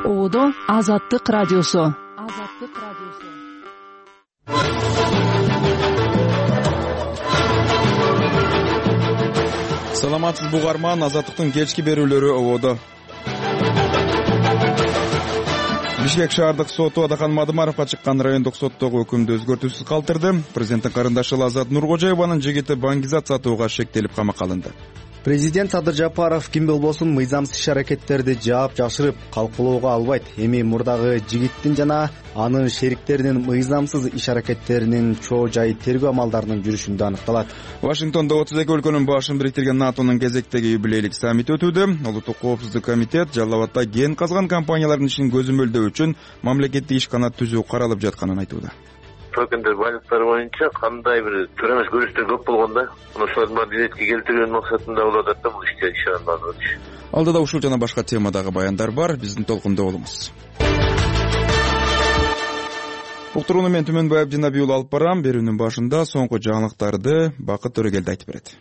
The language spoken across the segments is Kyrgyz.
Ободо Азаттык радиосу. Саламатсызбы угарман, Азаттыктын кечки берүүлөрү ободо. Бишкек шаардык соту Адахан Мадымаровго чыккан райондук соттогу өкүмдү өзгөртүүсүз калтырды. Президенттин карындашы Азат Нуркожоеванын жигити баңгизат сатууга шектелип камакка алынды. Президент Садыр Жапаров ким болбосун мыйзамсыз иш-аракеттерди жаап жашырып калкулоого албайт. Эми мурдагы жигиттин жана анын шериктеринин мыйзамсыз иш-аракеттеринин чоо жайы тергөө амалдарынын жүрүшүндө аныкталат. Вашингтондо 32 өлкөнүн башын бириктирген НАТОнун кезектеги юбилейлик саммити өтүүдө. Улуттук коопсуздук комитет Жалал Абадда кен казган компаниялардын ишин көзөмөлдөө үчүн мамлекеттик ишканат түзүү каралып жатканын айтууда. Токендер байлыктары боюнча кандай бир туура эмес көрүштөр көп болгондо, ошолордун баарын иретке келтирүүнүн максатында болуп атат да бул ишке ишенбагыч. Алдыда ушул жана башка темадагы баяндар бар. Биздин толкунда болуңуз. Уктурууну мен Түмөнбаев Жанабий уулу алып барам. Берүүнүн башында соңку жаңылыктарды Бакыт Төрөгелди айтып берет.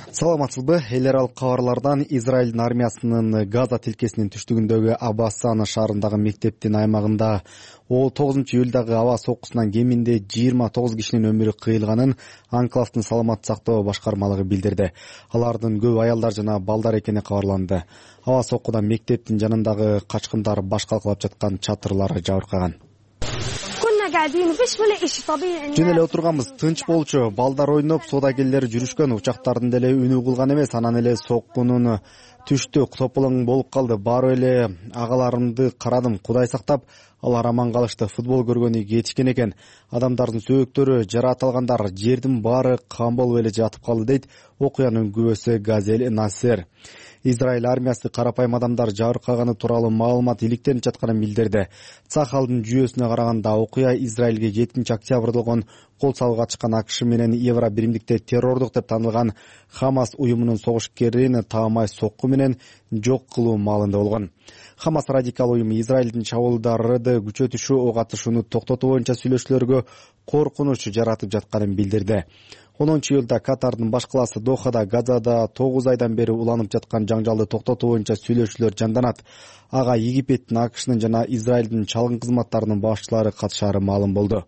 Саламатсызбы? Эл аралык кабарлардан Израилдин армиясынын Газа тилкесинин түштүгүндөгү Аббасан шаарындагы мектептин аймагында 9-июлдагы аба соккусунан кеминде 29 кишинин өмүрү кыйылганын Анклавдын саламаттык сактоо башкармалыгы билдирди. Алардын көбү аялдар жана балдар экени кабарланды. Аба соккудан мектептин жанындагы качкындар баш калкалап жаткан чатырлары жабыркаган. Жөн эле отурганбыз, тынч болчу. Балдар ойноп, соодагерлер жүрүшкөн, учактардын деле үнү кылган эмес. Анан эле соккунун түштү, тополоң болуп калды. Баары эле агаларымды карадым, Кудай сактап, алар аман калышты. Футбол көргөнү кетишкен экен. Адамдардын сөөктөрү, жараат алгандар, жердин баары кан болуп эле жатып калды, дейт окуянын күбөсү Газель Насер. Израиль армиясы карапайым адамдар жабыркаганы тууралуу маалымат иликтенип жатканын билдирди. Цахалдын жүйөсүнө караганда окуя Израилге 7 октябрда болгон кол салууга чыккан АКШ менен Евро биримдикте террордук деп танылган Хамас уюмунун согушкерин таамай сокку менен жок кылуу маалында болгон. Хамас радикал уюму Израилдин чабуулдарды күчөтүшү, ок атышууну токтотуу боюнча сүйлөшүүлөргө коркунуч жаратып жатканын билдирди. 10-июлда Катардын баш калаасы Дохада Газада 9 айдан бери уланып жаткан жаңжалды токтотуу боюнча сүйлөшүүлөр жанданат. Ага Египеттин, АКШнын жана Израилдин чалгын кызматтарынын башчылары катышаары маалым болду.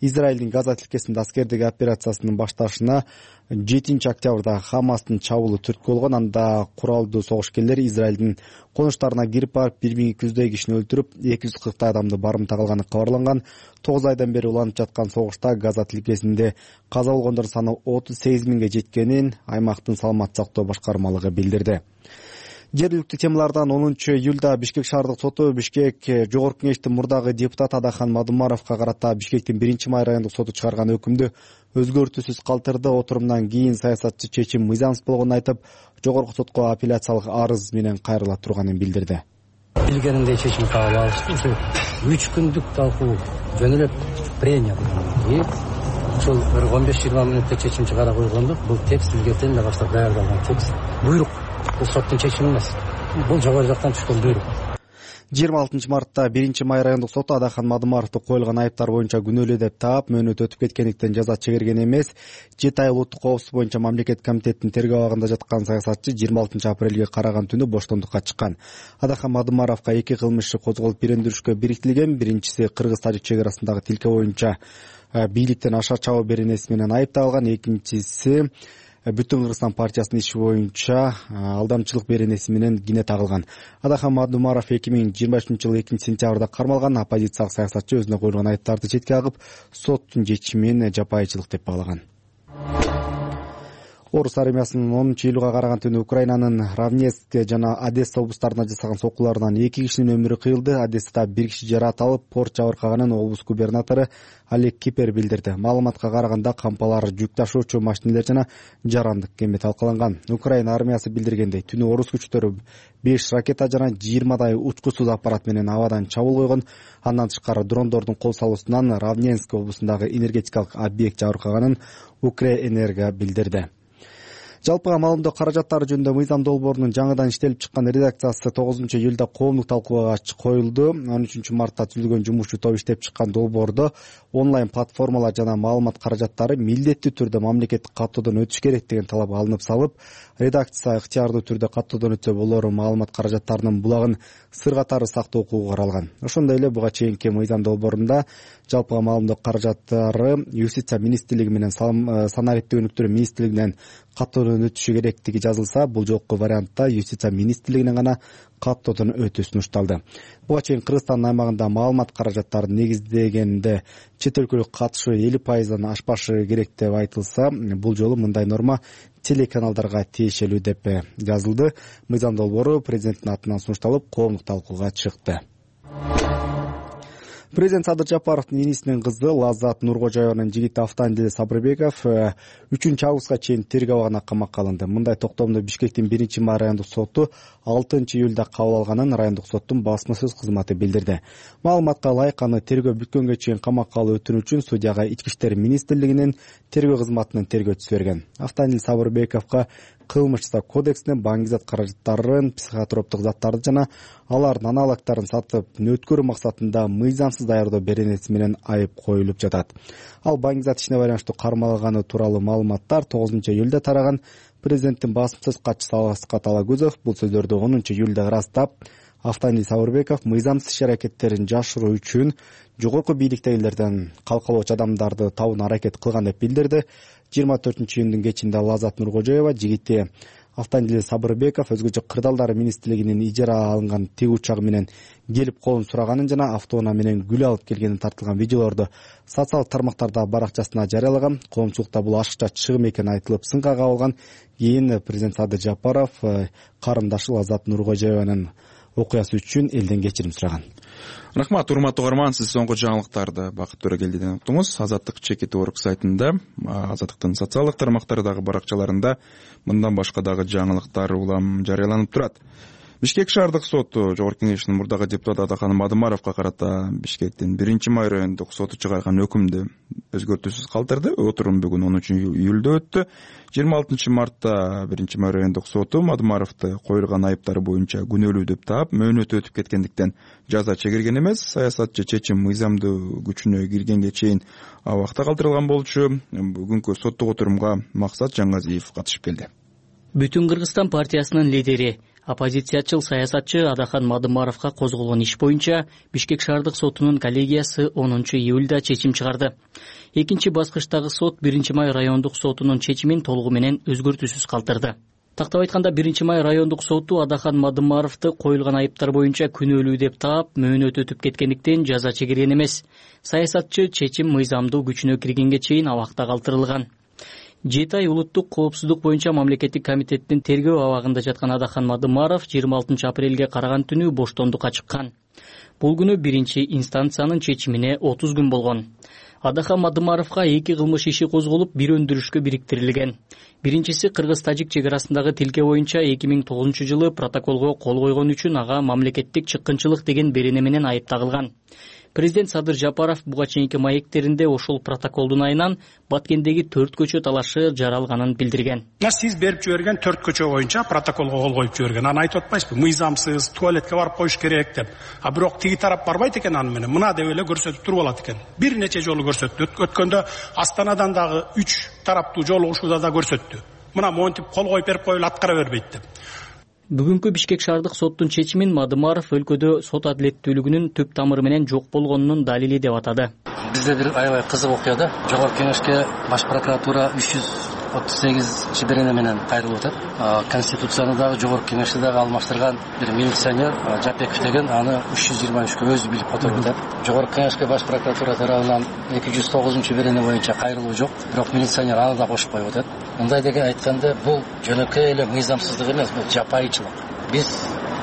Израилдин Газа тилкесинде аскердик операциясынын башталышына 7 октябрда Хамастын чабуулу түрткү болгон. Анда куралдуу согушкерлер Израилдин конуштарына кирип барып 1200 кишини өлтүрүп, 240 адамды барымта кылганы кабарланган. 9 айдан бери уланып жаткан согушта Газа тилкесинде каза болгондордун саны 38 миңге жеткенин аймактын саламаттык сактоо башкармалыгы билдирди. Жергиликтүү темалардан 10-июлда Бишкек шаардык соту Бишкек жогорку кеңештин мурдагы депутаты Адахан Мадымаровго карата Бишкектин 1-май райондук соту чыгарган өкүмдү өзгөртүүсүз калтырды. Отурумдан кийин саясатчы чечим мыйзамсыз болгонун айтып, жогорку сотко апелляциялык арыз менен кайрыла турганын билдирди. Билгениндей чечим кабыл алышты. Ушу 3 күндүк талкуу жөн эле прения болгон. Ушул 15-20 мүнөттө чечим чыгара койгондук. Бул текст илгертен эле баштап даярдалган текст. Буйрук. Бул соттун чечими эмес. Бул жогору жактан түшкөн буйрук. 26 мартта 1-май райондук соту Адахан Мадымаровду коюлган айыптар боюнча күнөөлүү деп таап, мөөнөт өтүп кеткендиктен жаза чегерген эмес. 7 ай улуттук коопсуздук боюнча мамлекет комитетинин тергөө абагында жаткан саясатчы 26 апрелге караган түнү боштондукка чыккан. Адахан Мадымаровго 2 кылмыш иши козголуп бирендиришкө бириктерилген. Биринчиси Кыргыз-Тажик чек арасындагы тилке боюнча бийликтен аша чабуу беренеси менен айыпталган. Экинчиси Бүтүн Кыргызстан партиясынын иши боюнча алдамчылык беренеси менен кине тагылган. Адахан Мадымаров 2023-жылы 2-сентябрда кармалган. Оппозициялык саясатчы өзүнө коюлган айыптарды четке агып, соттун чечимин жапайычылык деп багылаган. Орус армиясынын 10-июлга караган түнү Украинанын Равнецк жана Одесса облустарына жасаган соккуларынан 2 кишинин өмүрү кыйылды. Одессада 1 киши жараат алып, порт жабыркаганын облус губернатору Олег Кипер билдирди. Маалыматка караганда кампалар, жүк ташуучу машинелер жана жарандык кеме талкаланган. Украина армиясы билдиргендей, түнү орус күчтөрү 5 ракета жана 20 учкусуз аппарат менен абадан чабуул койгон. Андан тышкары дрондордун кол салуусунан Равненск облусундагы энергетикалык объект жабыркаганын Укрэнерго билдирди. Жалпыга маалымдоо каражаттары жөнүндө мыйзам долбоорунун жаңыдан иштелип чыккан редакциясы 9-июлда коомдук талкууга коюлду. 13-мартта түзүлгөн жумушчу топ иштеп чыккан долбоордо онлайн платформалар жана маалымат каражаттары милдеттүү түрдө мамлекеттик каттоодон өтүш керек деген талап алынып салып, редакция ыктыярдуу түрдө каттоодон өтсө болор маалымат каражаттарынын булагын сыр катары сактоо укугу каралган. Ошондой эле буга чейинки мыйзам долбоорунда жалпыга маалымдоо каражаттары юстиция министрлиги менен санариптик өнүктүрүү министрлигинен каттоодон өтүшү керектиги жазылса, бул жолку вариантта юстиция министрлигинен гана каттоодон өтүү сунушталды. Буга чейин Кыргызстандын аймагында маалымат каражаттарын негиздегенде чет өлкөлүк катышуу 50%дан ашпашы керек деп айтылса, бул жолу мындай норма телеканалдарга тиешелүү деп жазылды. Мыйзам долбоору президенттин атынан сунушталып, коомдук талкууга чыкты. Президент Садыр Жапаровдун инисинин кызы Лаззат Нуркожоеванын жигити Автандил Сабырбеков 3-августка чейин тергөө абагына камакка алынды. Мындай токтомду Бишкектин 1-май райондук соту 6-июлда кабыл алганын райондук соттун басма сөз кызматы билдирди. Маалыматка ылайык аны тергөө бүткөнгө чейин камакка алуу өтүнү үчүн судьяга Ички иштер министрлигинин тергөө кызматынын тергөөчүсү берген. Автандил Сабырбековго кылмыш жасоо кодексинин баңгизат каражаттарын, психотроптук заттарды жана алардын аналогдорун сатып өткөрүү максатында мыйзамсыз даярдоо беренеси менен айып коюлуп жатат. Ал баңгизат ишине байланыштуу кармалганы тууралуу маалыматтар 9-июлда тараган. Президенттин басма сөз катчысы Асқат Алагөзов бул сөздөрдү 10-июлда ырастап, Автандил Сабырбеков мыйзамсыз иш-аракеттерин жашыруу үчүн жогорку бийликтегилерден калкалоочу адамдарды табууна аракет кылган деп билдирди. 24-июндун кечинде Лаззат Нуркожоева жигити Автандил Сабырбеков өзгөчө кырдаалдар министрлигинин ижара алынган тиг учагы менен келип колун сураганын жана автоунаа менен гүл алып келгени тартылган видеолорду социалдык тармактарда баракчасына жарыялаган. Коомчулукта бул ашыкча чыгым экени айтылып, сынга кабылган. Кийин президент Садыр Жапаров карындашы Лаззат Нуркожоеванын окуясы үчүн элден кечирим сураган. Рахмат, урматтуу угарман, сиз соңку жаңылыктарды Бакыт Төрөгелдиден уктуңуз. Азаттык чекит орг сайтында, Азаттыктын социалдык тармактардагы баракчаларында мындан башка дагы жаңылыктар улам жарыяланып турат. Бишкек шаардык соту Жогорку Кеңешинин мурдагы депутаты Адахан Мадымаровго карата Бишкектин 1-май райондук соту чыгарган өкүмдү өзгөртүүсүз калтырды. Отурум бүгүн 10-июлда өттү. 26-мартта 1-май райондук соту Мадымаровду коюлган айыптар боюнча күнөөлүү деп таап, мөөнөтү өтүп кеткендиктен жаза чегирген эмес. Саясатчы чечим мыйзамдуу күчүнө киргенге чейин абакта калтырылган болчу. Бүгүнкү соттук отурумга Максат Жаңгазиев катышып келди. Бүтүн Кыргызстан партиясынын лидери, оппозициячыл саясатчы Адахан Мадымаровго козголгон иш боюнча Бишкек шаардык сотунун коллегиясы 10-июлда чечим чыгарды. Экинчи баскычтагы сот 1-май райондук сотунун чечимин толугу менен өзгөртүүсүз калтырды. Тактап айтканда 1-май райондук соту Адахан Мадымаровду коюлган айыптар боюнча күнөөлүү деп таап, мөөнөт өтүп кеткендиктен жаза чегирген эмес. Саясатчы чечим мыйзамдуу күчүнө киргенге чейин абакта калтырылган. 7 ай улуттук коопсуздук боюнча мамлекеттик комитеттин тергөө абагында жаткан Адахан Мадымаров 26 апрелге караган түнү боштондукка чыккан. Бул күнү биринчи инстанциянын чечимине 30 күн болгон. Адахан Мадымаровго 2 кылмыш иши козголуп, бир өндүрүшкө бириктирилген. Биринчиси кыргыз-тажик чек арасындагы тилке боюнча 2009-жылы протоколго кол койгон үчүн ага мамлекеттик чыккынчылык деген берене менен айып тагылган. Президент Садыр Жапаров буга чейинки маектеринде ошол протоколдун айынан Баткендеги 4 көчө талашы жаралганын билдирген. Сиз берип жиберген 4 көчө боюнча протоколго кол коюп жиберген. Аны айтып атпайсызбы? Мыйзамсыз, туалетке барып коюш керек деп. А бирок тиги тарап барбайт экен аны менен. Мына деп эле көрсөтүп туруп алат экен. Бир нече жолу көрсөттү. Өткөндө Астанадан дагы 3 тараптуу жолугушууда да көрсөттү. Мына монтип кол коюп берип коюлуп аткара бербейт деп. Бүгүнкү Бишкек шаардык соттун чечимин Мадымаров өлкөдө сот адилеттүүлүгүнүн түп тамыры менен жок болгонунун далили деп атады. Бизде бир аябай кызык окуя да. Жогорку Кеңешке баш прокуратура 338 берене менен кайрылып атат. Конституцияны дагы Жогорку Кеңеште дагы алмаштырган бир милиционер Жапеков деген аны 323кө өзү билип которуп атат. Жогорку Кеңешке баш прокуратура тарабынан 209 берене боюнча кайрылуу жок, бирок милиционер аны да кошуп коюп атат. Мындай деген айтканда бул жөнөкөй эле мыйзамсыздык эмес, бул жапайычылык. Биз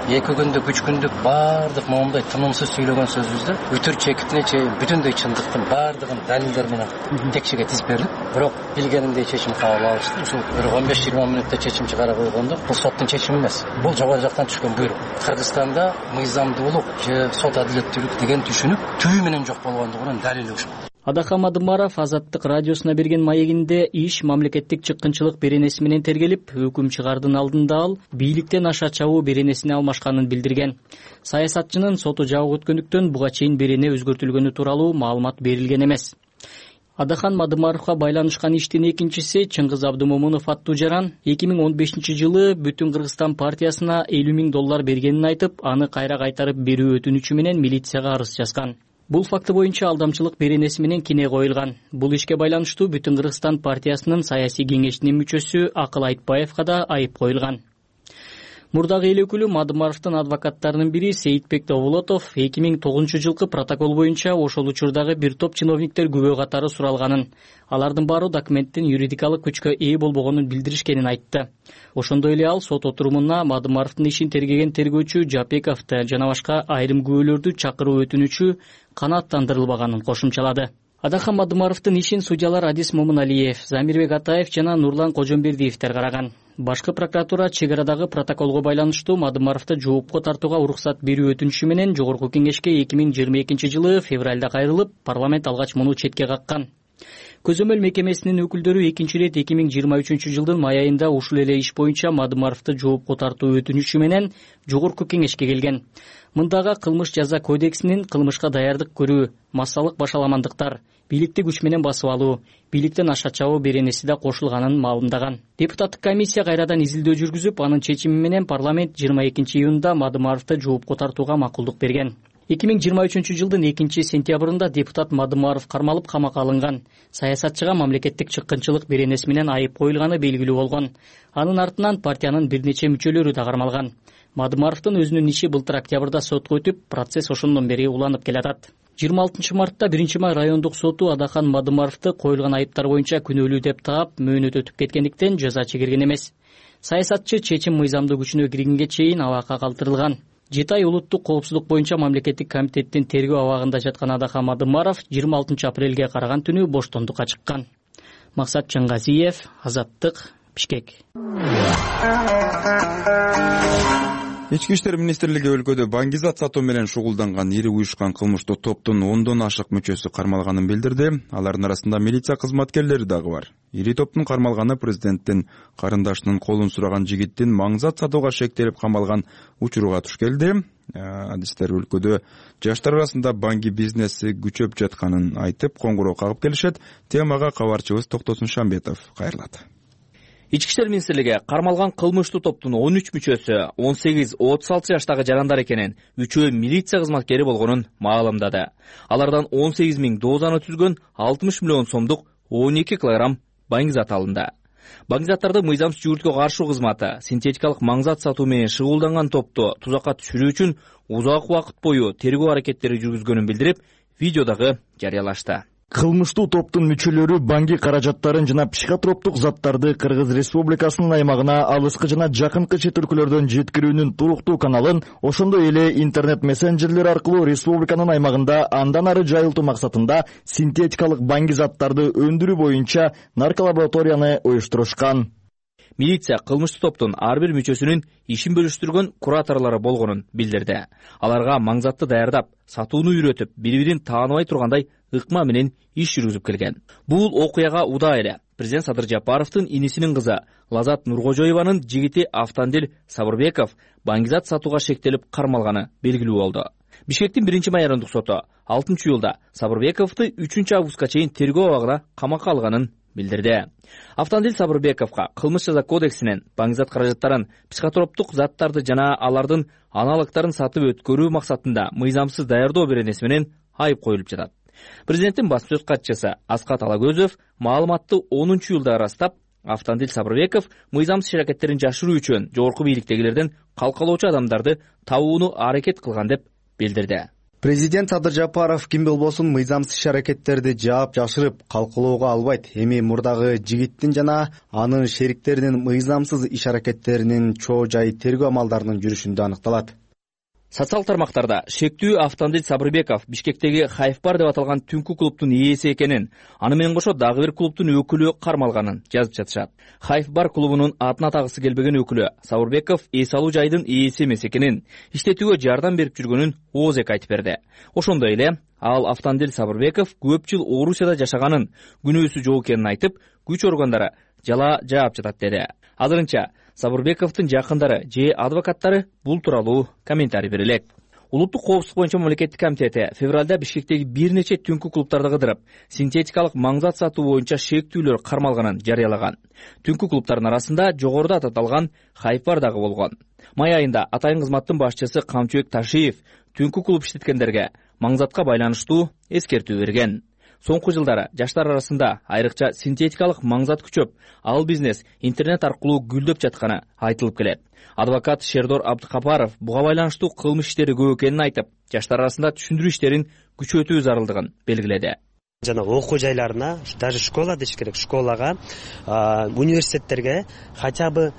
2 күндүк, 3 күндүк баардык моундай тынымсыз сүйлөгөн сөзүбүздө үтүр чекитине чейин бүтүндөй чындыктын баардыгын далилдер менен текшеге тизип бердик. Бирок билгениндей чечим кабыл алышты. Ушул бир 15-20 мүнөттө чечим чыгара койгондо бул соттун чечими эмес. Бул жогору жактан түшкөн буйрук. Кыргызстанда мыйзамдуулук же сот адилеттүүлүк деген түшүнүк түбү менен жок болгондугунун далили ушул. Адахан Мадымаров Азаттык радиосуна берген маегинде иш мамлекеттик чыккынчылык беренеси менен тергелип, өкүм чыгаардын алдында ал бийликтен аша чабуу беренесине алмашканын билдирген. Саясатчынын соту жабык өткөндүктөн буга чейин берене өзгөртүлгөнү тууралуу маалымат берилген эмес. Адахан Мадымаровго байланышкан иштин экинчиси Чыңгыз Абдымомунов аттуу жаран 2015-жылы Бүтүн Кыргызстан партиясына $50,000 бергенин айтып, аны кайра кайтарып берүү өтүнүчү менен милицияга арыз жазган. Бул факты боюнча алдамчылык беренеси менен кине коюлган. Бул ишке байланыштуу Бүтүн Кыргызстан партиясынын саясий кеңешинин мүчөсү Акыл Айтбаевга да айып коюлган. Мурдагы эл өкүлү Мадымаровдун адвокаттарынын бири Сейитбек Довулотов 2009-жылкы протокол боюнча ошол учурдагы бир топ чиновниктер күбө катары суралганын, алардын баары документтин юридикалык күчкө ээ болбогонун билдиришкенин айтты. Ошондой эле ал сот отурумуна Мадымаровдун ишин тергеген тергөөчү Жапековду жана башка айрым күбөлөрдү чакыруу өтүнүчү канааттандырылбаганын кошумчалады. Адахан Мадымаровдун ишин судьялар Адис Момуналиев, Замирбек Атаев жана Нурлан Кожомбердиевдер караган. Башкы прокуратура чек арадагы протоколго байланыштуу Мадымаровду жоопко тартууга уруксат берүү өтүнүчү менен Жогорку Кеңешке 2022-жылы февралда кайрылып, парламент алгач муну четке каккан. Көзөмөл мекемесинин өкүлдөрү экинчи ирет 2023-жылдын май айында ушул эле иш боюнча Мадымаровду жоопко тартуу өтүнүчү менен Жогорку Кеңешке келген. Мындагы кылмыш жаза кодексинин кылмышка даярдык көрүү, массалык башаламандыктар, бийликти күч менен басып алуу, бийликтен аша чабуу беренеси да кошулганын маалымдаган. Депутаттык комиссия кайрадан изилдөө жүргүзүп, анын чечими менен парламент 22-июнда Мадымаровду жоопко тартууга макулдук берген. 2023-жылдын 2-сентябрында депутат Мадымаров кармалып камакка алынган. Саясатчыга мамлекеттик чыккынчылык беренеси менен айып коюлганы белгилүү болгон. Анын артынан партиянын бир нече мүчөлөрү да кармалган. Мадымаровдун өзүнүн иши былтыр октябрда сотко өтүп, процесс ошондон бери уланып келатат. 26-мартта 1-май райондук соту Адахан Мадымаровду коюлган айыптар боюнча күнөөлүү деп таап, мөөнөт өтүп кеткендиктен жаза чегерген эмес. Саясатчы чечим мыйзамдуу күчүнө киргенге чейин абакка калтырылган. 7 ай улуттук коопсуздук боюнча мамлекеттик комитеттин тергөө абагында жаткан Адахан Мадымаров 26 апрелге караган түнү боштондукка чыккан. Максат Чаңгазиев, Азаттык, Бишкек. Ички иштер министрлиги өлкөдө баңгизат сатуу менен шугулданган ири уюшкан кылмыштуу топтун 10дон ашык мүчөсү кармалганын билдирди. Алардын арасында милиция кызматкерлери дагы бар. Ири топтун кармалганы президенттин карындашынын колун сураган жигиттин маңзат сатууга шектелип камалган учуруга туш келди. Адистер өлкөдө жаштар арасында банги бизнеси күчөп жатканын айтып, коңгуроо кагып келишет. Темага кабарчыбыз Токтосун Шамбетов кайрылат. Ички иштер министрлиги кармалган кылмыштуу топтун 13 мүчөсү 18-36 жаштагы жарандар экенин, 3-өө милиция кызматкери болгонун маалымдады. Алардан 18 000 дозаны түзгөн 60 миллион сомдук 12 килограмм баңгизат алынды. Баңгизаттарды мыйзамсыз жүгүрткөгө каршы кызматы синтетикалык маңзат сатуу менен шыгуулданган топту тузакка түшүрүү үчүн узак убакыт бою тергөө аракеттери жүргүзгөнүн билдирип, видеодагы жарыялашты. Кылмыштуу топтун мүчөлөрү банги каражаттарын жана психотроптук заттарды Кыргыз Республикасынын аймагына алыскы жана жакынкы чет өлкөлөрдөн жеткирүүнүн туруктуу каналын, ошондой эле интернет мессенджерлер аркылуу республиканын аймагында андан ары жайылтуу максатында синтетикалык банги заттарды өндүрүү боюнча нарколабораторияны уюштурушкан. Милиция кылмыштуу топтун ар бир мүчөсүнүн ишин бөлүштүргөн кураторлору болгонун билдирди. Аларга маңзатты даярдап, сатууну үйрөтүп, бири-бирин тааныбай тургандай ыкма менен иш жүргүзүп келген. Бул окуяга удаа эле президент Садыр Жапаровдун инисинин кызы Лазат Нуркожоеванын жигити Автандил Сабырбеков баңгизат сатууга шектелип кармалганы белгилүү болду. Бишкектин 1-май райондук соту 6-июлда Сабырбековду 3-августка чейин тергөө абагына камакка алганын билдирди. Автандил Сабырбековго кылмыш жаза кодексинен баңгизат каражаттарын, психотроптук заттарды жана алардын аналогдорун сатып өткөрүү максатында мыйзамсыз даярдоо беренеси менен айып коюлуп жатат. Президенттин басма сөз катчысы Аскат Алагөзов маалыматты 10-июлда ырастап, Автандил Сабырбеков мыйзамсыз аракеттерин жашыруу үчүн жогорку бийликтегилерден калкалоочу адамдарды табууну аракет кылган деп билдирди. Президент Садыр Жапаров ким болбосун мыйзамсыз аракеттерди жаап жашырып калкалоого албайт. Эми мурдагы жигиттин жана анын шериктеринин мыйзамсыз иш аракеттеринин чоо жай тергөө амалдарынын жүрүшүндө аныкталат. Социал тармактарда шектүү Автандил Сабырбеков Бишкектеги Хайфбар деп аталган түнкү клубдун ээси экенин, аны менен кошо дагы бир клубдун өкүлү кармалганын жазып жатышат. Хайфбар клубунун атын атагысы келбеген өкүлү Сабырбеков эс алуу жайдын ээси эмес экенин, иштетүүгө жардам берип жүргөнүн ооз айтып берди. Ошондой эле ал Автандил Сабырбеков көп жыл Орусияда жашаганын, күнөөсү жок экенин айтып, күч органдары жала жаап жатат деди. Азырынча Сабырбековдун жакындары же адвокаттары бул тууралуу комментарий бере элек. Улуттук коопсуздук боюнча мамлекеттик комитети февралда Бишкектеги бир нече түнкү клубдарды кыдырып, синтетикалык маңзат сатуу боюнча шектүүлөр кармалганын жарыялаган. Түнкү клубдардын арасында жогоруда аталган Хайфбар дагы болгон. Май айында атайын кызматтын башчысы Камчыбек Ташиев түнкү клуб иштеткендерге маңзатка байланыштуу эскертүү берген. Соңку жылдары жаштар арасында айрыкча синтетикалык маңзат күчөп, ал бизнес интернет аркылуу гүлдөп жатканы айтылып келет. Адвокат Шердор Абдыкапаров буга байланыштуу кылмыш иштери көп экенин айтып, жаштар арасында түшүндүрүү иштерин күчөтүү зарылдыгын белгиледи. Жана окуу жайларына, даже школа деш керек, школага, университеттерге хотя бы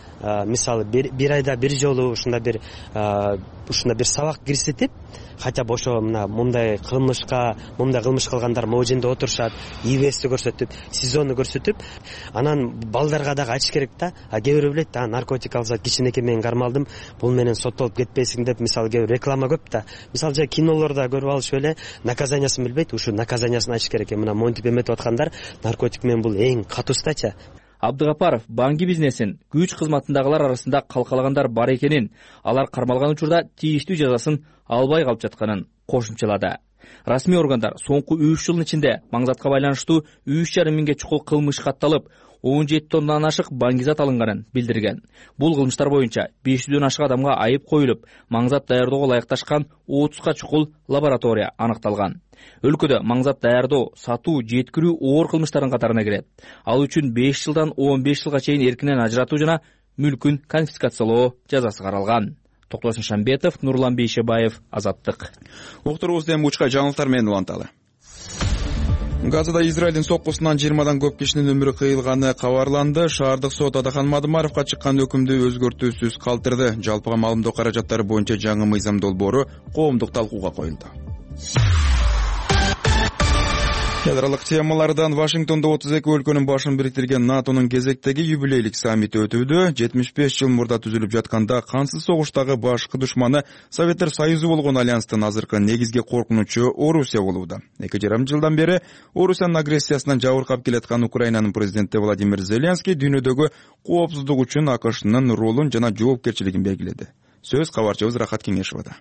мисалы бир айда бир жолу ушундай бир сабак киргизип, хотя бы ошо мындай кылмыш кылгандар могу жерде отурушат, ИВСти көрсөтүп, сезонну көрсөтүп, анан балдарга дагы айтыш керек да, кээ бирөө билет да, наркотик алса кичинекей менен кармалдым, бул менен соттолуп кетпесиң деп, мисалы кээ бир реклама көп да. Мисалы жай кинолордо көрүп алышып эле наказаниясын билбейт, ушу наказаниясын айтыш керек. Мына монтип эметип аткандар наркотик менен бул эң катуустачы. Абдыгапаров банги бизнесин күч кызматындагылар арасында калкалагандар бар экенин, алар кармалган учурда тийиштүү жазасын албай калып жатканын кошумчалады. Расмий органдар соңку 3 жылдын ичинде маңзатка байланыштуу 3,5 миңге чукул кылмыш катталып, 17 тоннадан ашык баңгизат алынганын билдирген. Бул кылмыштар боюнча 500дөн ашык адамга айып коюлуп, маңзат даярдоого ылайыкташкан 30га чукул лаборатория аныкталган. Өлкөдө маңзат даярдоо, сатуу, жеткирүү оор кылмыштардын катарына кирет. Ал үчүн 5 жылдан 15 жылга чейин эркинен ажыратуу жана мүлкүн конфискациялоо жазасы каралган. Токтосун Шамбетов, Нурлан Бейшебаев, Азаттык. Уктурубузду эми учка жаңылыктар менен уланталы. Газада Израилдин соккусунан 20дан көп кишинин өмүрү кыйылганы кабарланды. Шаардык сот Адахан Мадымаровго чыккан өкүмдү өзгөртүүсүз калтырды. Жалпыга маалымдоо каражаттары боюнча жаңы мыйзам долбоору коомдук талкууга коюлду. Ядролук темалардан Вашингтондо 32 өлкөнүн башын бириктирген НАТОнун кезектеги юбилейлик саммити өтүүдө. 75 жыл мурда түзүлүп жатканда кансыз согуштагы башкы душманы Советтер Союзу болгон альянстын азыркы негизги коркунучу Орусия болууда. 2,5 жылдан бери Орусиянын агрессиясынан жабыркап келаткан Украинанын президенти Владимир Зеленский дүйнөдөгү коопсуздук үчүн АКШнын ролун жана жоопкерчилигин белгиледи. Сөз кабарчыбыз Рахат Кеңешовада.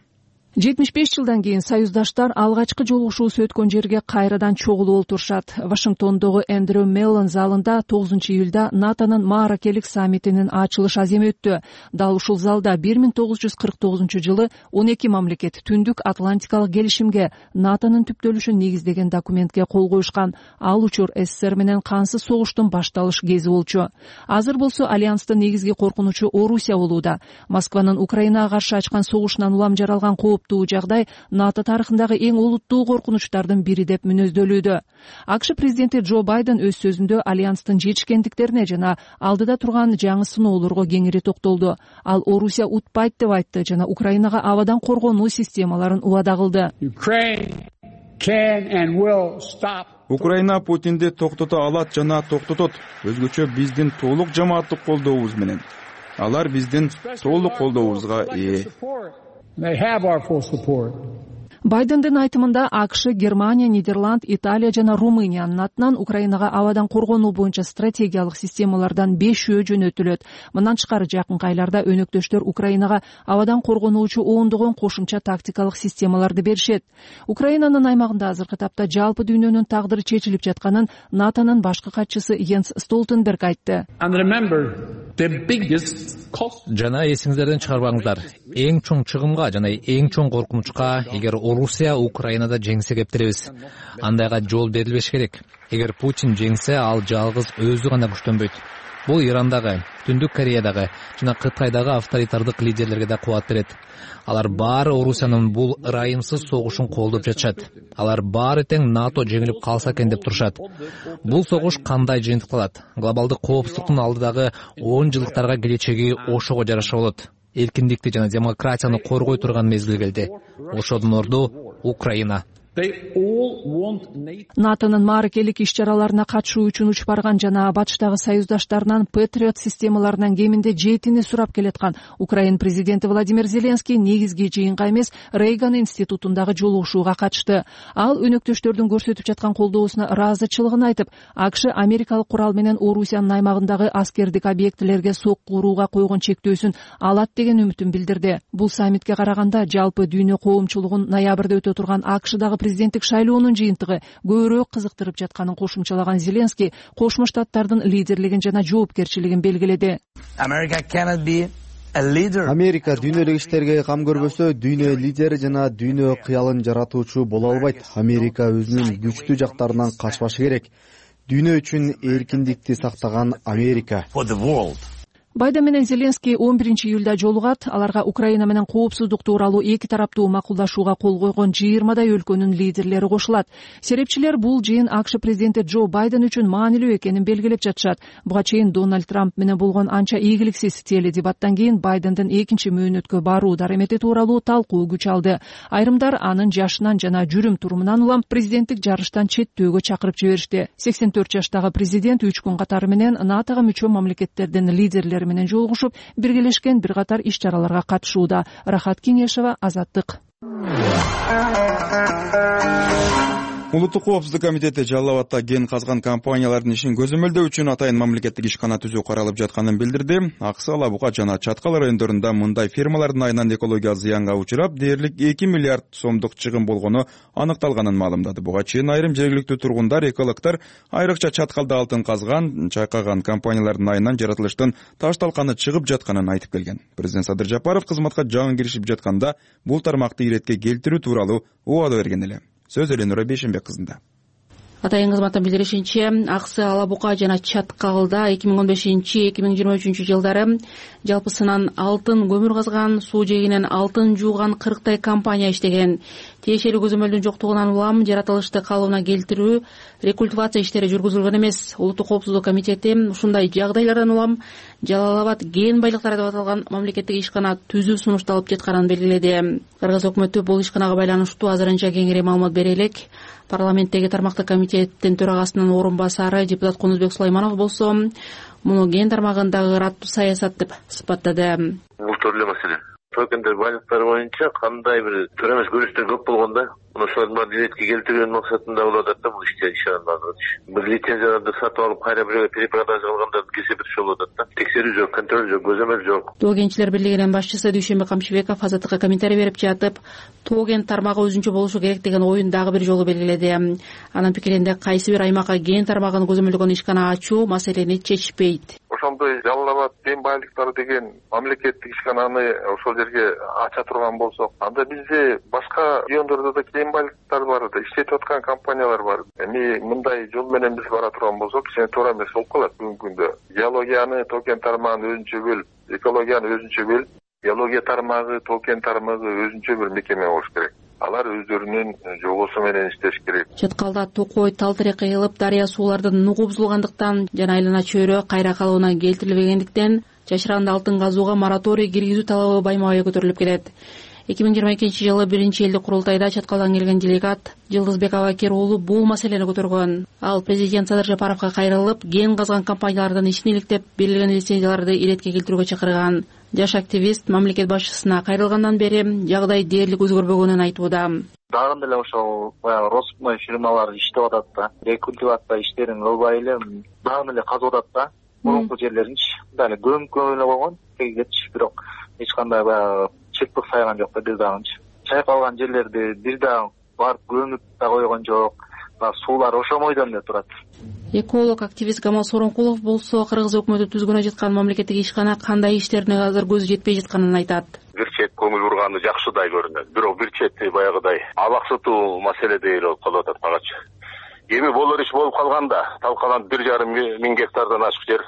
75 жылдан кийин союздаштар алгачкы жолугушуусу өткөн жерге кайрадан чогулуп отурушат. Вашингтондогу Эндрю Меллон залында 9-июлда НАТОнун мааракелик саммитинин ачылыш аземи өттү. Дал ушул залда 1949-жылы 12 мамлекет Түндүк Атлантикалык келишимге, НАТОнун түптөлүшүн негиздеген документке кол коюшкан. Ал учур СССР менен кансыз согуштун башталыш кези болчу. Азыр болсо альянстын негизги коркунучу Орусия болууда. Москванын Украинага каршы ачкан согушунан улам жаралган жагдай НАТО тарыхындагы эң олуттуу коркунучтардын бири деп мүнөздөлүүдө. АКШ президенти Джо Байден өз сөзүндө альянстын жетишкендиктерине жана алдыда турган жаңы сыноолорго кеңири токтолду. Ал Орусия утпайт деп айтты жана Украинага абадан коргонуу системаларын убада кылды. Украина Путинди токтото алат жана токтотот. Өзгөчө биздин толук жамааттык колдообуз менен. Алар биздин толук колдообузга ээ. Байдендин айтымында АКШ, Германия, Нидерланд, Италия жана Румыниянын атынан Украинага абадан коргонуу боюнча стратегиялык системалардан 5 жөнөтүлөт. Мындан тышкары жакынкы айларда өнөктөштөр Украинага абадан коргонуучу ондогон кошумча тактикалык системаларды беришет. Украинанын аймагында азыркы тапта жалпы дүйнөнүн тагдыры чечилип жатканын НАТОнун башкы катчысы Йенс Столтенберг айтты. Жана эсиңиздерден чыгарбаңыздар. Эң чоң чыгымга жана эң чоң коркунучка эгер Орусия Украинада жеңсе кептиребиз. Андайга жол берилбеш керек. Эгер Путин жеңсе, ал жалгыз өзү гана күчтөнбөйт. Бул Ирандагы, Түндүк Кореядагы жана Кытайдагы авторитардык лидерлерге да кубат берет. Алар баары Орусиянын бул ырайымсыз согушун колдоп жатышат. Алар баары тең НАТО жеңилип калса экен деп турушат. Бул согуш кандай жыйынтык кылат? Глобалдык коопсуздуктун алдыдагы 10 жылдыктарга келечеги ошого жараша болот. эркиндикти жана демократияны коргой турган мезгил келди. Ошодон орду Украина. НАТОнун мааракелик иш-чараларына катышуу үчүн учуп барган жана батыштагы союздаштарынан Patriot системаларынын кеминде 7-ни сурап келаткан Украина президенти Владимир Зеленский негизги жыйынга эмес, Рейган институтундагы жолугушууга катышты. Ал өнөктөштөрдүн көрсөтүп жаткан колдоосуна ыраазычылыгын айтып, АКШ америкалык курал менен Орусиянын аймагындагы аскердик объектилерге сокку урууга койгон чектөөсүн алат деген үмүтүн билдирди. Бул саммитке караганда жалпы дүйнө коомчулугун ноябрда өтө турган АКШдагы президенттик шайлоонун жыйынтыгы көбүрөөк кызыктырып жатканын кошумчалаган Зеленский Кошмо Штаттардын лидерлигин жана жоопкерчилигин белгиледи. Америка дүйнөлүк иштерге кам көрбөсө, дүйнө лидери жана дүйнө кыялын жаратуучу боло албайт. Америка өзүнүн күчтүү жактарынан качпашы керек. Дүйнө үчүн эркиндикти сактаган Америка. Байден менен Зеленский 11-июлда жолугат. Аларга Украина менен коопсуздук тууралуу эки тараптуу макулдашууга кол койгон 20дай өлкөнүн лидерлери кошулат. Серепчилер бул жыйын АКШ президенти Джо Байден үчүн маанилүү экенин белгилеп жатышат. Буга чейин Дональд Трамп менен болгон анча ийгиликсиз теледебаттан кийин Байдендин экинчи мөөнөткө баруу даремети тууралуу талкуу күч алды. Айрымдар анын жашынан жана жүрүм-турумунан улам президенттик жарыштан четтөөгө чакырып жиберишти. 84 жаштагы президент 3 күн катары менен НАТОга мүчө мамлекеттердин лидерлери менен жолугушуп, биргелешкен бир катар иш-чараларга катышууда. Рахат Кеңешева, Азаттык. Улуттук коопсуздук комитети Жалал Абадта ген казган компаниялардын ишин көзөмөлдөө үчүн атайын мамлекеттик ишкана түзүү каралып жатканын билдирди. Аксы, Ала Бука жана Чаткал райондорунда мындай фермалардын айынан экологиялык зыянга учурап, дээрлик 2 миллиард сомдук чыгым болгону аныкталганын маалымдады. Буга чейин айрым жергиликтүү тургундар, экологдор айрыкча Чаткалда алтын казган, чайкаган компаниялардын айынан жаратылыштын ташталканы чыгып жатканын айтып келген. Президент Садыр Жапаров кызматка жаңы киришип жатканда бул тармакты иретке келтирүү тууралуу убада берген эле. Сөз Эленура Бейшенбек кызында. Атайын кызматтын билдиришинче, Аксы, Ала Бука жана Чаткалда 2015-2023 жылдары жалпысынан алтын көмүр казган, суу жээгинен алтын жууган 40тай компания иштеген. Тиешелүү көзөмөлдүн жоктугунан улам жаратылышты калыбына келтирүү, рекультивация иштери жүргүзүлгөн эмес. Улуттук коопсуздук комитети ушундай жагдайлардан улам Жалал Абад ген байлыктары деп аталган мамлекеттик ишкана түзүү сунушталып жатканын белгиледи. Кыргыз өкмөтү бул ишканага байланыштуу азырынча кеңири маалымат бере элек. Парламенттеги тармактык комитеттин төрагасынын орун басары депутат Кунузбек Сулайманов болсо, муну ген тармагындагы ыраттуу саясат деп сыпаттады. Бул эле маселе. Токендер байлыктары боюнча кандай бир туура эмес көрүнүштөр көп болгондо, ошолордун баарын иретке келтирүү максатында болуп атат да бул иште ишанат. Бир лицензияларды сатып алып, кайра бирөөгө перепродажа кылгандардын кесепети болуп атат да. Текшерүү жок, контроль жок, көзөмөл жок. Тоо кенчилер бирлигинин башчысы Дүйшөнбек Камчыбеков Азаттыкка комментарий берип жатып, тоо кен тармагы өзүнчө болушу керек деген оюн дагы бир жолу белгиледи. Анын пикиринде кайсы бир аймакка кен тармагын көзөмөлдөгөн ишкана ачуу маселени чечпейт. Ошондой Жалал Абад кен байлыктары деген мамлекеттик ишкананы ошол жерге ача турган болсок, анда бизде башка райондордо да кен байлыктар бар, иштетип аткан компаниялар бар. Эми мындай жол менен биз бара турган болсок, кичине туура эмес болуп калат бүгүнкү күндө. Геологияны, тоо кен тармагын өзүнчө бөлүп, экологияны өзүнчө бөлүп, геология тармагы, тоо кен тармагы өзүнчө бир мекеме болуш керек. Алар өздөрүнүн жобосу менен иштеш керек. Чаткалда Токой тал терек кыйылып, дарыя суулардын нугу бузулгандыктан жана айлана чөйрө кайра калыбына келтирилбегендиктен жашыранды алтын казууга мораторий киргизүү талабы байма-бай көтөрүлүп келет. 2022-жылы 1-элдик курултайда Чаткалдан келген делегат Жылдызбек Абакер уулу бул маселени көтөргөн. Ал президент Садыр Жапаровго кайрылып, ген казган компаниялардын ишин иликтеп, берилген лицензияларды иретке келтирүүгө чакырган. Жаш активист мамлекет башчысына кайрылгандан бери жагдай дээрлик өзгөрбөгөнүн айтууда. Дагы деле ошол баягы Роспной фирмалар иштеп атат да, рекультивация иштерин кылбай эле дагы эле казып атат да. Мурунку жерлеринчи дагы көмүккө эле койгон, тегичи, бирок эч кандай баягы чекпик сайган жок да бир дагынчы. Чайкалган жерлерди бир дагы барып көмүп да койгон жок. Суулар ошо бойдон эле турат. Эколог активист Камал Соронкулов болсо Кыргыз өкмөтү түзгөнө жаткан мамлекеттик ишкана кандай иштерине азыр көзү жетпей жатканын айтат. Бир чет көңүл бурганы жакшыдай көрүнөт. Бирок бир чети баягыдай абаксытуу маселедей эле болуп калып атат багачы. Эми болор иш болуп калганда, талкаланып 1,5 миң гектардан ашык жер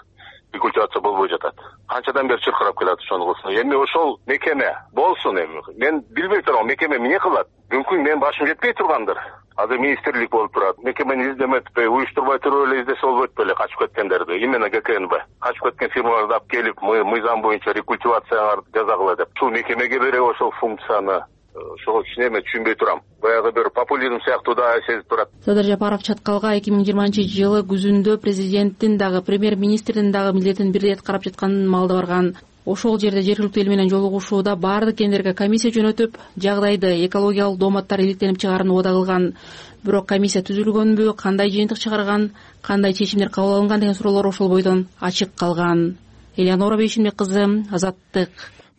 рекультивация болбой жатат. Канчадан бери чыркырап келат ошону кылсын. Эми ошол мекеме болсун эми. Мен билбей турам, мекеме эмне кылат? Мүмкүн менин башым жетпей тургандыр. Азыр министрлик болуп турат. Мекемени издеметпи, уюштурбай туруп эле издесе болбойт беле качып кеткендерди. Именно ГКНБ. Качып кеткен фирмаларды алып келип, мыйзам боюнча рекультивацияңарды жазагыла деп. Ушул мекемеге бере ошол функцияны. Ошого кичине мен түшүнбөй турам. Баягы бир популизм сыяктуу да сезип турат. Садыр Жапаров чаткалга 2020-жылы күзүндө президенттин дагы премьер-министрдин дагы милдетин бирдей аткарып жатканын маалда барган. Ошол жерде жергиликтүү эл менен жолугушууда баардык кендерге комиссия жөнөтүп, жагдайды экологиялык дооматтар иликтенип чыгаарын убада кылган. Бирок комиссия түзүлгөнбү, кандай жыйынтык чыгарган, кандай чечимдер кабыл алынган деген суроолор ошол бойдон ачык калган. Элеонора Бейшимбек кызы, Азаттык.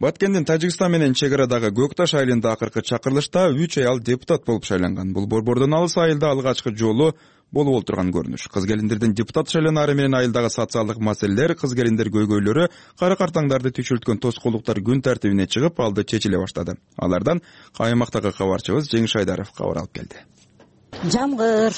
Баткендин Тажикстан менен чек арадагы Көк Таш айылында акыркы чакырылышта 3 аял депутат болуп шайланган. Бул борбордон алыс айылда алгачкы жолу болуп олтурган көрүнүш. Кыз келиндердин депутат шайланаары менен айылдагы социалдык маселелер, кыз келиндер көйгөйлөрү, кара картаңдарды түйшөлткөн тоскоолдуктар күн тартибине чыгып, алды чечиле баштады. Алардан Каймактагы кабарчыбыз Жеңиш Айдаров кабар алып келди. Жамгыр,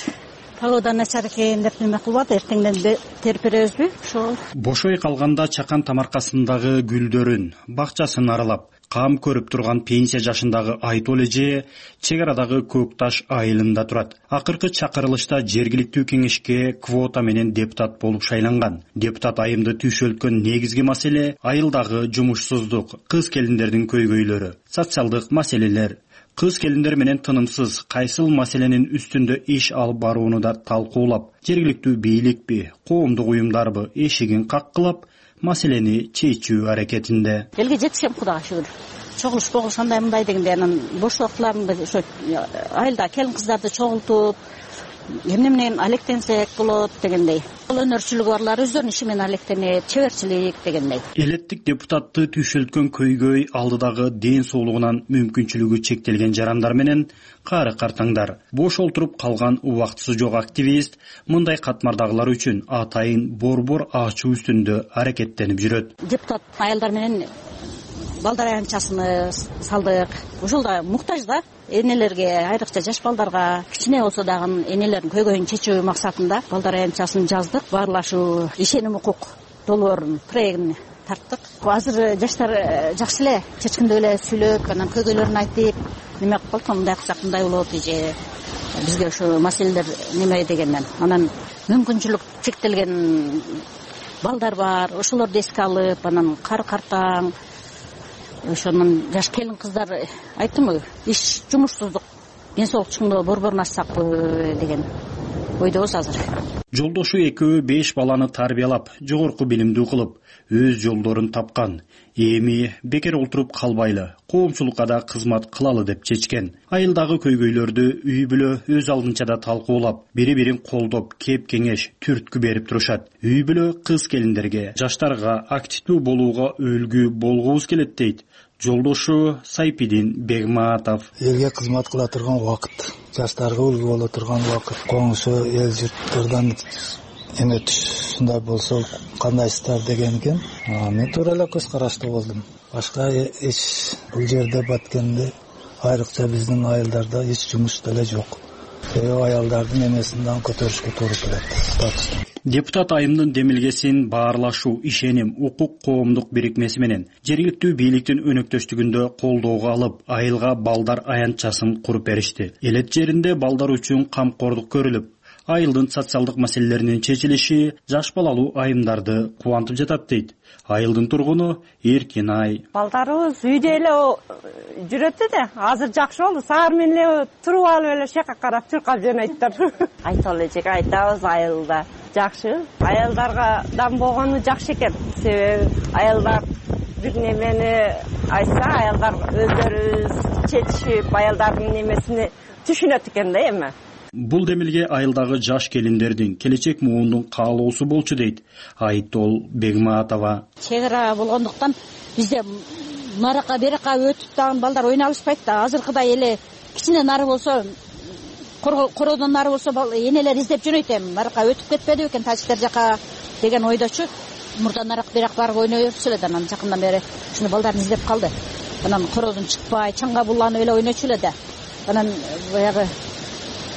погода начар экен деп неме кылбады, эртеңден терип беребизби? Ошол. Бошой калганда чакан тамаркасындагы гүлдөрүн, бакчасын аралап, кам көрүп турган пенсия жашындагы Айтол эже чек арадагы Көк Таш айылында турат. Акыркы чакырылышта жергиликтүү кеңешке квота менен депутат болуп шайланган. Депутат айымды түйшөлткөн негизги маселе айылдагы жумушсуздук, кыз келиндердин көйгөйлөрү, социалдык маселелер. Кыз келиндер менен тынымсыз кайсыл маселенин үстүндө иш алып барууну да талкуулап, жергиликтүү бийликпи, коомдук уюмдарбы эшигин каккылап, маселени чечүү аракетинде. Элге жетишем, Кудайга шүгүр. Чогулуш болгуш андай мындай дегенде анан бош убактыларымда ошо айылда келин кыздарды чогултуп, эмне менен алектенсек болот дегендей. Ал өнөрчүлүгү барлар өздөрүнүн иши менен алектенет, чеберчилик дегендей. Элеттик депутатты түйшөлткөн көйгөй алдыдагы ден соолугунан мүмкүнчүлүгү чектелген жарандар менен кары картаңдар. Бош олтуруп калган убактысы жок активист мындай катмардагылар үчүн атайын борбор ачуу үстүндө аракеттенип жүрөт. Депутат айылдар менен балдар аянтчасыны салдык. Ошол да муктаж да энелерге, айрыкча жаш балдарга кичине болсо дагы энелердин көйгөйүн чечүү максатында балдар аянтчасын жаздык. Баарлашуу ишеним укук долбоорунун проектин тарттык. Азыр жаштар жакшы эле чечкиндеп эле сүйлөп, анан көйгөйлөрүн айтып, неме кылып калса мындай кылсак мындай болот же бизге ошо маселелер неме дегенден. Анан мүмкүнчүлүк чектелген балдар бар, ошолорду эске алып, анан кары картаң ошонун жаш келин кыздар айттымбы, иш жумушсуздук, ден соолук чыңдоо борборун ачсакпы деген ойдобуз азыр. Жолдошу экөө 5 баланы тарбиялап, жогорку билимдүү кылып, өз жолдорун тапкан. Эми бекер олтуруп калбайлы, коомчулукка да кызмат кылалы деп чечкен. Айылдагы көйгөйлөрдү үй бүлө өз алдынча да талкуулап, бири-бирин колдоп, кеп кеңеш, түрткү берип турушат. Үй бүлө кыз келиндерге, жаштарга активдүү болууга өлгү болгубуз келет дейт жолдошу Сайпидин Бегматов. Элге кызмат кыла турган убакыт, жаштарга үлгү боло турган убакыт, коңшу эл журттардан эме ушундай болсо кандайсыздар деген экен. Мен туура эле көз караштуу болдум. Башка эч бул жерде Баткенде айрыкча биздин айылдарда эч жумуш деле жок. Аялдардын эмесинден көтөрүшкө туура келет. Депутат айымдын демилгесин баарлашуу, ишеним, укук коомдук бирикмеси менен жергиликтүү бийликтин өнөктөштүгүндө колдоого алып, айылга балдар аянтчасын куруп беришти. Элет жеринде балдар үчүн камкордук көрүлүп, айылдын социалдык маселелеринин чечилиши жаш балалуу айымдарды кубантып жатат дейт айылдын тургуну Эркинай. Балдарыбыз үйдө эле жүрөт да, азыр жакшы болду. Саар менен эле туруп алып эле шака карап чуркап жөнөйттөр. Айталы эжеге айтабыз айылда жакшы. Аялдарга дам болгону жакшы экен. Себеби аялдар бир немени айтса, аялдар өздөрү чечишип, аялдардын немесини түшүнөт экен да эми. Бул демилге айылдагы жаш келиндердин, келечек муундун каалоосу болчу дейт Айтол Бегматова. Чек ара болгондуктан бизде наракка берака өтүп дагы балдар ойнай алышпайт да. Азыркыдай эле кичине нары болсо, короодон нары болсо энелер издеп жөнөйт эми. Наракка өтүп кетпеди экен тажиктер жака деген ойдочу. Мурда нарак берак барып ойной берчү эле, анан жакындан бери ушуну балдарын издеп калды. Анан короодон чыкпай, чаңга буланып эле ойночу эле да. Анан баягы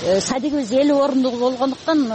садигибиз 50 орундук болгондуктан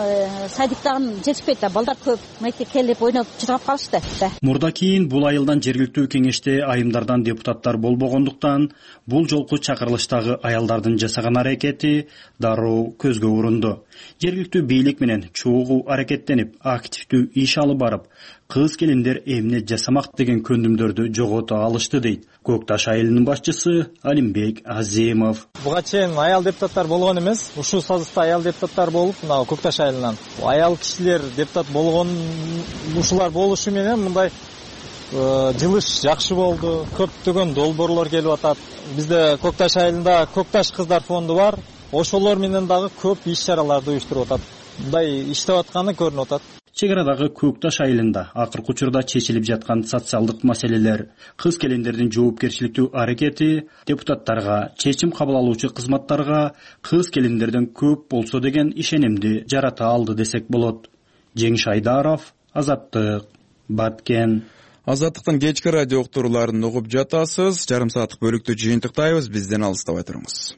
садик дагы жетишпейт да, балдар көп, мынтип келип ойноп чыргап калышты. Мурда кийин бул айылдан жергиликтүү кеңеште айымдардан депутаттар болбогондуктан бул жолку чакырылыштагы аялдардын жасаган аракети дароо көзгө урунду. Жергиликтүү бийлик менен чогуу аракеттенип, активдүү иш алып барып, кыз келиндер эмне жасамак деген көндүмдөрдү жогото алышты дейт Көк Таш айылынын башчысы Алимбек Азимов. Буга чейин аял депутаттар болгон эмес, ушул сазыкта аял депутаттар болуп, мына Көк Таш айылынан аял кишилер депутат болгон ушулар болушу менен мындай жылыш жакшы болду. Көптөгөн долбоорлор келип атат. Бизде Көк Таш айылында Көк Таш кыздар фонду бар. Ошолор менен дагы көп иш-чараларды уюштуруп атат. Мындай иштеп атканы көрүнүп атат. Чек арадагы Көк Таш айылында акыркы учурда чечилип жаткан социалдык маселелер, кыз келиндердин жоопкерчиликтүү аракети депутаттарга, чечим кабыл алуучу кызматтарга кыз келиндерден көп болсо деген ишенимди жарата алды десек болот. Жеңиш Айдаров, Азаттык, Баткен. Азаттыктын кечки радио уктурууларын угуп жатасыз. Жарым сааттык бөлүктү жыйынтыктайбыз. Бизден алыстабай туруңуз.